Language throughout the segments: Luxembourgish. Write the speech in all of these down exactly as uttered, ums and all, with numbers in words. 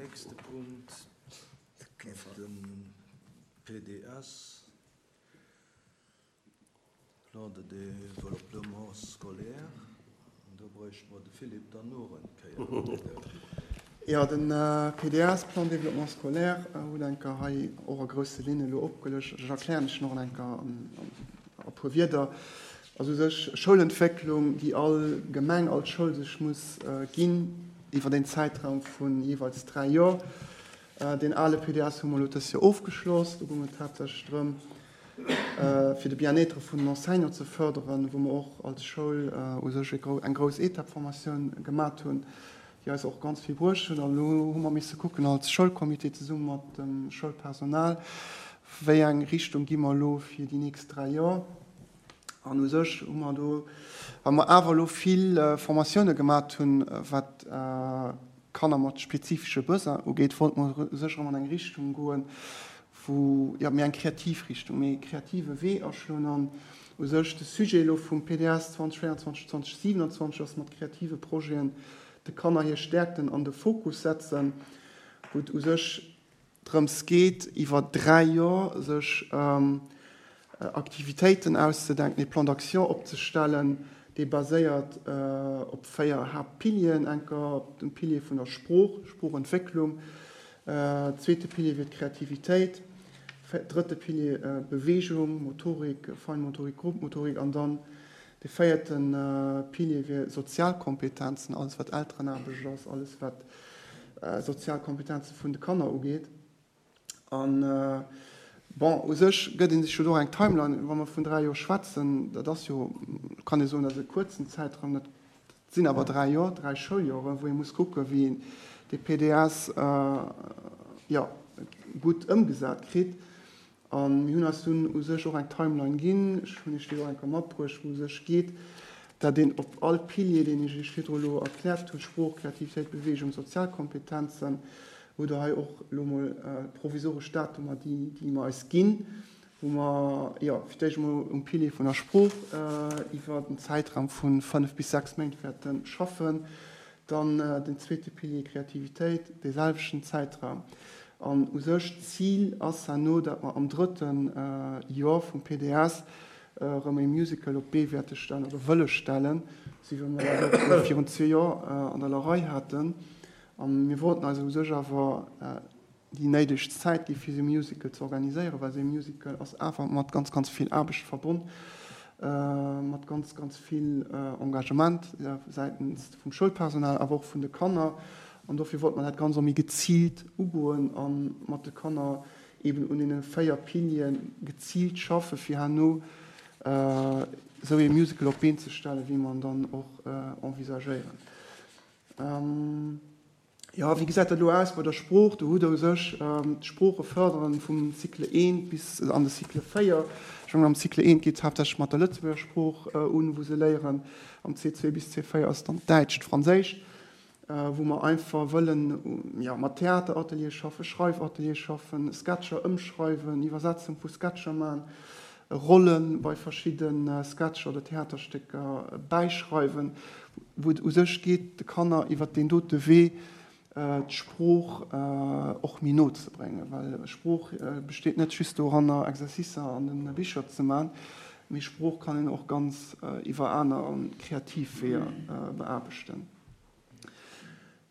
nächste Punkt, den P D S, Plan de développement scolaire. An do bräichte mer de Philippe dann nach eng Kéier. Jo, den P D S, Plan de développement scolaire, hutt eng Kéier hei och a grousse Linne lo opgelëscht. Ech erklären ech nach eng Kéier an, an, a puer Wierder. Also sech Schoulentwécklung, déi all Gemeng, all Schoul sech muss äh, ginn iwwer den Zäitraum vun jeeweils dräi Joer. Äh, den ale P D S hu mer lo dëst Joer ofgeschloss. Do goung et haaptsächlech drëm, äh, fir de Bien-être vun den Enseignants ze fërderen, wou mer och als Schoul äh, u sech eng grouss Etappformatioun gemaach hunn, déi eis och ganz vill bruecht hunn. An elo hu mer misse kucken als Schoulcomité zesumme mat dem Schoulpersonal, wéi eng Richtung gi mer lo fir déi nächst dräi Joer. An u sech hu mer do, well mer awer elo vill äh, Formatioune gemaach hunn, wat äh, Kanner mat spezifesche Besoinen ugeet, wollte mer u sech an eng Richtung goen, wou, jo, méi eng kreativ Richtung, méi kreative Wee aschloen. An u sech de Sujet lo vum P D S zweedausendvéierundzwanzeg zweedausendsiwenundzwanzeg ass mat kreative Projeten de Kanner hir Stäerkten an de Fokus setzen, wou et u sech drëms geet, iwwer dräi Joer sech ähm, Aktivitéiten auszedenken, e Plan d'action opzestellen, dee baséiert äh, op véier Haaptpilieren: eng Kéier op dem Pilier vun der Sprooch, Sproochentwécklung, äh, zweete Pilier wier Kreativitéit, drëtte Pilier äh, Beweegung, Motorik, Feinmotorik, Grobmotorik an dann de véierten äh, Pilier wier Sozialkompetenzen, alles wat Elterenaarbecht ass, alles wat äh, Sozialkompetenze vun de Kanner ugeet. An äh, bon, u sech gëtt een sech jo do eng Timeline, wa mer vun dräi Joer schwätzen, dat ass jo, kann ee soen, dat ass e kuerzen Zäitraum, dat sinn awer dräi Joer, dräi Schouljoren, wou ee muss kucken, wéi een de P D S äh, jo, gutt ëmgesat kritt. An mir hunn eis dunn u sech och eng Timeline ginn, ech hunn iech déi och eng Kéier matbruecht, wou u sech geet, dat een op all Pilier, deen ech iech virdru lo erkläert hunn, Sprooch, Kreativitéit, Beweegung, Sozialkompetenzen, wou der hei och lo mol äh, provisoresch Datumer, déi, déi mer eis ginn, wou mer, jo, fir d'éischt mol um Pilier vun der Sprooch äh, iwwer den Zäitraum vu fënnef bis sechs Méint wäerte schaffen, dann äh, den zweete Pilier Kreativitéit, de selwechten Zäitraum. An u sech d'Zil ass herno, datt mer am drëtten äh, Joer vum P D S äh, rëm e Musical op d'Bee wäerte stellen oder wëlle stellen, sou wéi mer dat och virun zwee Joer äh, an der Larei haten. An mir wollten eis u sech awer äh, déi néideg Zäit gi fir sou e Musical ze organiséieren, well sou e Musical ass awer mat ganz ganz vill Aarbecht verbonn, äh, mat ganz ganz vill äh, Engagement äh, säitens vum Schoulpersonal, awer och vun de Kanner. An dofir wollte mer dat Ganzt och méi geziilt ugoen a mat de Kanner eben un deene véier Piliere geziilt schaffen, fir herno äh, sou e Musical op d'Been ze stellen, wéi mer dann och äh, envisagéieren. Ähm, jo, wéi gesäit dat lo aus bei der Sprooch? Do hutt der u sech ähm, d'Sprooche fërderen vum Cycle eent bis an de Cycle véier. Schonn am Cycle eent geet haaptsächlech mat der Lëtzebuerger Sprooch äh, un, wou se léieren. Am C zwee bis C véier ass dann Däitsch, Franséisch, äh, wou mer einfach wëllen, jo, mat Theateratelier schaffen, Schreifatelier schaffen, Sketcher ëmschreiwen, Iwwersetzung vu Sketcher maachen, Rolle bei verschiddene Sketcher oder Theaterstécker bäischreiwen, wou et u sech geet, de Kanner iwwer den dote Wee äh, d'Sprooch äh, och méi no ze bréngen, well Sprooch äh, besteet net just doranner, Exercicer an de Bicher ze maachen, mee Sprooch kann een och ganz äh, iwwer aner kreativ Weeër äh, beaarbechten.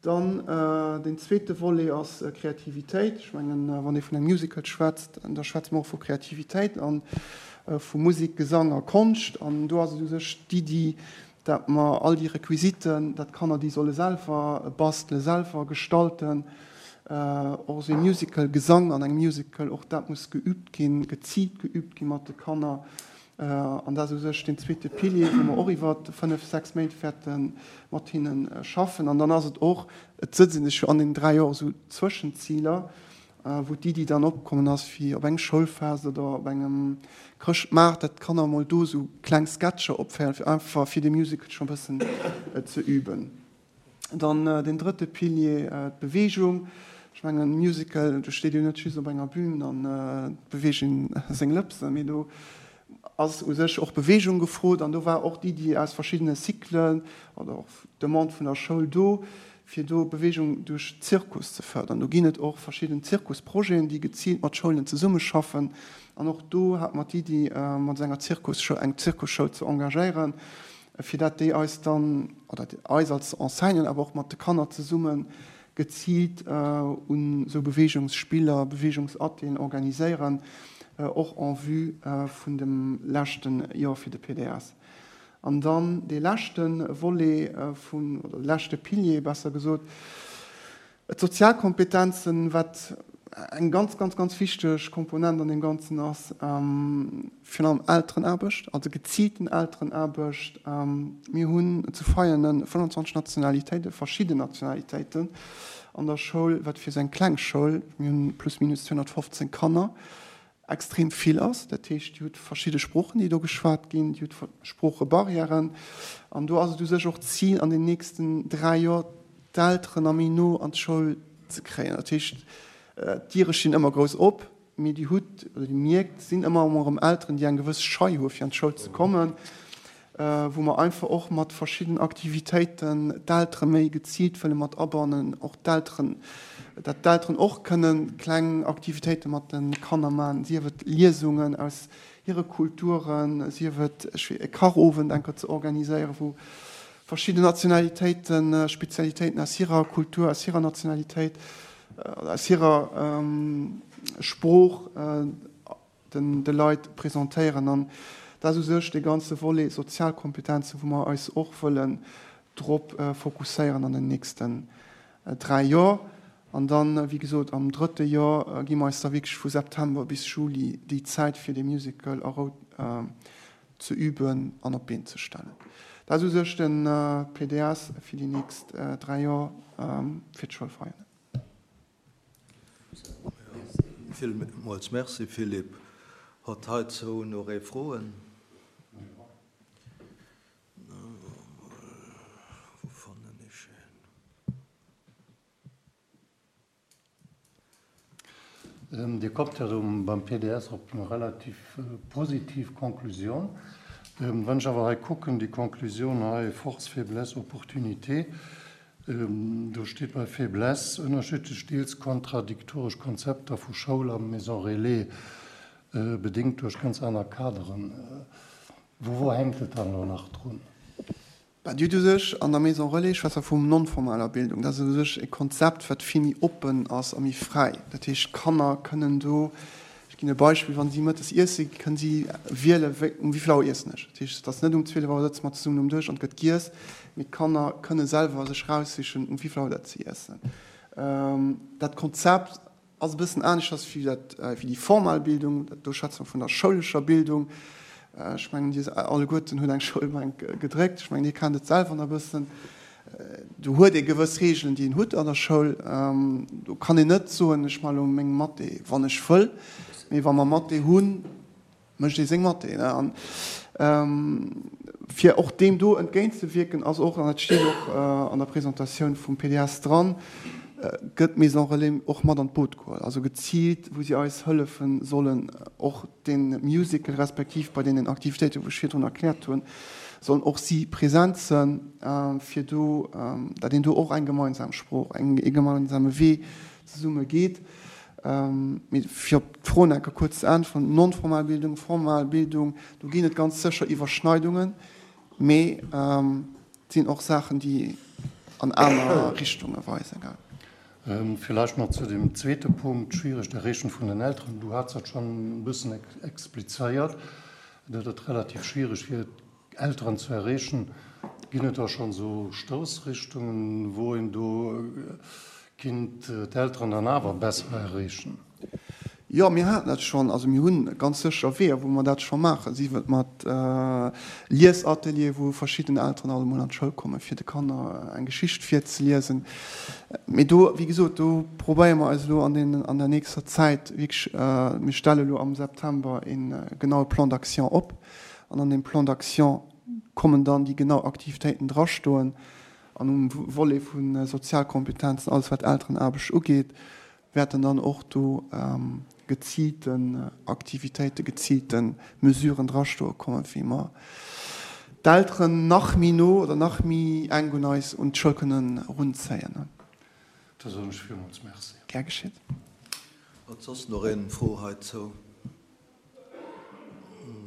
Dann äh, den zweete Volet ass äh, Kreativitéit. Ech mengen, äh, wann ee vun engem Musical schwätzt, da schwätzt mer och vu Kreativitéit an äh, vu Musek, Gesang a Konscht. An do ass et u sech d'Iddi, datt mer all déi Requisiten, dat d'Kanner déi solle selwer bastelen, selwer gestalten, äh, och sou Musical Gesang an engem Musical, och dat muss geüübt ginn, geziilt geüübt gi mat de Kanner. Äh, an dat ass u sech den zweete Pilier, wou mer och iwwer fënnef, sechs Méint wäerte mat hinnen äh, schaffen. An dann ass et och, et sëtze sech jo an den dräi Joer sou Zwëschenziler, äh, wou d'Iddi dann opkommen ass, fir op engem Schoulfest oder op engem Chrëschtmaart, dat d'Kanner mol do sou kleng Sketcher opféieren, fir einfach fir de Musical schonn e bëssen äh, ze üben. Dann äh, den drëtte Pilier, äh, d'Beweegung. Ech mengen, Musical, do steet jo net just op enger Bün an äh, beweegt seng Lëpsen, mee do ass u sech och Beweegung gefrot. An do war och d'Iddi aus verschiddene Cyclen oder och Demande vun der Schoul do, fir do Beweegung duerch Zirkus ze fërderen. Do ginn et och verschidden Zirkusprojeten, déi geziilt mat Schoulen zesummeschaffen. An och do hate mer d'Iddi, mat enger Zirkusschoul, eng Zirkusschoul ze engagéieren, fir dat déi eis dann, oder eis als Enseignanten, awer och mat de Kanner zesummen, geziilt un esou Beweegungsspiller, Beweegungsatelieren organiséieren, och en vue vun dem leschte Joer fir de P D S. An dann dee leschte Volet vun, oder de leschte Pilier besser gesot, d'Sozialkompetenzen, wat eng ganz, ganz, ganz wichteg Komponent an deem Ganzen ass, virun allem Elterenaarbecht, also geziilten Elterenaarbecht. Mir hunn zu Veianen fënnwandzwanzeg Nationalitéiten, verschidden Nationalitéiten an der Schoul, wat fir esou eng kleng Schoul, mir hunn plus minus zweehonnertfofzéng Kanner, extrem vill ass. Dat heescht, Dir hutt verschidde Sproochen, déi do geschwat ginn, Dir hutt Sproochebarrièren. An do ass et u sech och d'Zil, an den nächsten dräi Joer d'Elteren nach méi no an d'Schoul ze kréien. Dat heescht, d'Diere stinn ëmmer grouss op, mee Dir hutt oder Dir mierkt, et sinn ëmmer erëm Elteren, déi eng gewëss Schei hu fir an d'Schoul ze kommen, wou mer einfach och mat verschidden Aktivitéiten d'Eltere méi geziilt wëlle mat abannen, och d'Elteren, dat d'Elteren och kënnen kleng Aktivitéite mat de Kanner maachen, sief et Liesungen aus hire Kulturen, sief et e Kachowend enker ze organiséieren, wou verschidden Nationalitéiten, Spezialitéiten aus hirer Kultur, aus hirer Nationalitéit, aus hirer Sprooch den de Leit presentéieren. An dat ass u sech dee ganze Volet Sozialkompetenzen, wou mer eis och wëllen drop fokusséieren an den nächsten dräi Joer. An dann, wéi gesot, am drëtte Joer gi mer eis da wierklech vu September bis Juli déi Zäit, fir dee Musical a Rou ze üben an op d'Been ze stellen. Dat ass u sech de P D S fir déi nächst dräi Joer fir d'Schoul Veianen. Villmools merci, Philippe. Huet heizou nach ee Froen? Wou fannen ech en? Dir kommt ja beim P D S op eng relativ positiv Konklusioun. Wann ech awer hei kucken, déi Konklusioun hei, Force, Faiblesse, Opportunité, do steet bei Faiblesse ënnerschiddlech, deels kontradiktoresch Konzepter vu Schoul a Maison Relais, bedéngt duerch ganz aner Kaderen. Wou, wou hänkt et dann elo nach drun? Bah, Dir hutt u sech an der Maison Relais, ech schwätze vum non-formaler Bildung, dat ass u sech e Konzept, wat vill méi oppen ass a méi fräi. Dat heescht, d'Kanner kënnen do, ech ginn e Beispill, wa si mëttes iesse, kënnen si wielen, wéi, um wéi vill Auer iessen ech. Dat heescht, et ass net um zwielef Auer sëtze mer zesummen um Dësch an et gëtt giess, mee d'Kanner kënne selwer sech raussichen, um wéi vill Auer dat si iessen. Dat Konzept ass e bëssen aneschters wéi dat, wéi déi formal Bildung, do schwätze mer vun der schoulescher Bildung. Ech mengen, Dir alleguerten hutt eng Schoulbänk gedréckt. Ech mengen, Dir kennt et selwer nach e bëssen. Do huet ee gewëss Regeln, déi een huet an der Schoul. Do kann een net soen, ech maache lo meng Mathé, wann ech wëll. Mee wa mer Mathé hunn, mécht ee seng Mathé. An fir och deem do entgéintzewierken, ass och, an dat steet och an der Presentatioun vum P D S dran, gëtt d'Maison Relais och mat an d'Boot geholl, also geziilt, wou si eis hëllefe sollen, och de Musical respektiv bei deenen Aktivitéiten, wou ech virdrun erkläert hunn, sollen och si present sinn, fir do, datt een do och eng gemeinsam Sprooch, e gemeinsame Wee zesumme geet. Mee fir op d'Fro nach eng Kéier kuerz ze äntweren, non-formal Bildung, formal Bildung, do ginn et ganz sécher Iwwerschneidungen, mee et sinn och Saachen, déi an aner Richtunge weisen. Villäicht nach zu dem zweete Punkt, schwieregt Erreechen vun den Elteren. Du has dat schonn e bëssen explizéiert, datt et relativ schwiereg wier, Elteren ze erreechen. Ginn et da schonn esou Stoussrichtungen, wou een do kinnt d'Elteren dann awer besser erreechen? Jo, mir haten dat schonn. Also mir hunn ganz sécher Weeër, wou mer dat scho maachen, sief et mat Liesateliere, wou verschidden Elteren alt emol an d'Schoul kommen, fir de Kanner eng Geschicht virzeliesen. Mee do, wéi gesot, do probéiere mer eis elo an deenen, an der nächster Zäit wierklech, mir stelle elo am September e genaue Plan d'action op an an deem Plan d'action kommen dann déi genau Aktivitéiten drastoen. An um Volet vu Sozialkompetenzen, alles wat Elterenaarbecht ugeet, wäerten dann och do geziilten Aktivitéiten, geziilte Mesuren drastoe kommen, wéi mer d'Elteren nach méi no oder nach méi enk un eis un d'Schoul kënnen erunzéien. Da soen ech villmools Merci. Gär geschitt. Huet soss nach een Fro heizou?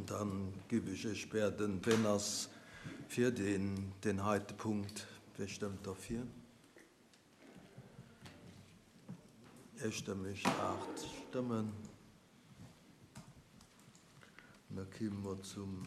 Dann giff ech iech bieden, ween ass fir deen, deen heite Punkt? Wee stëmmt derfir? Eestëmmeg, aacht Stëmmen. Da kime mer zum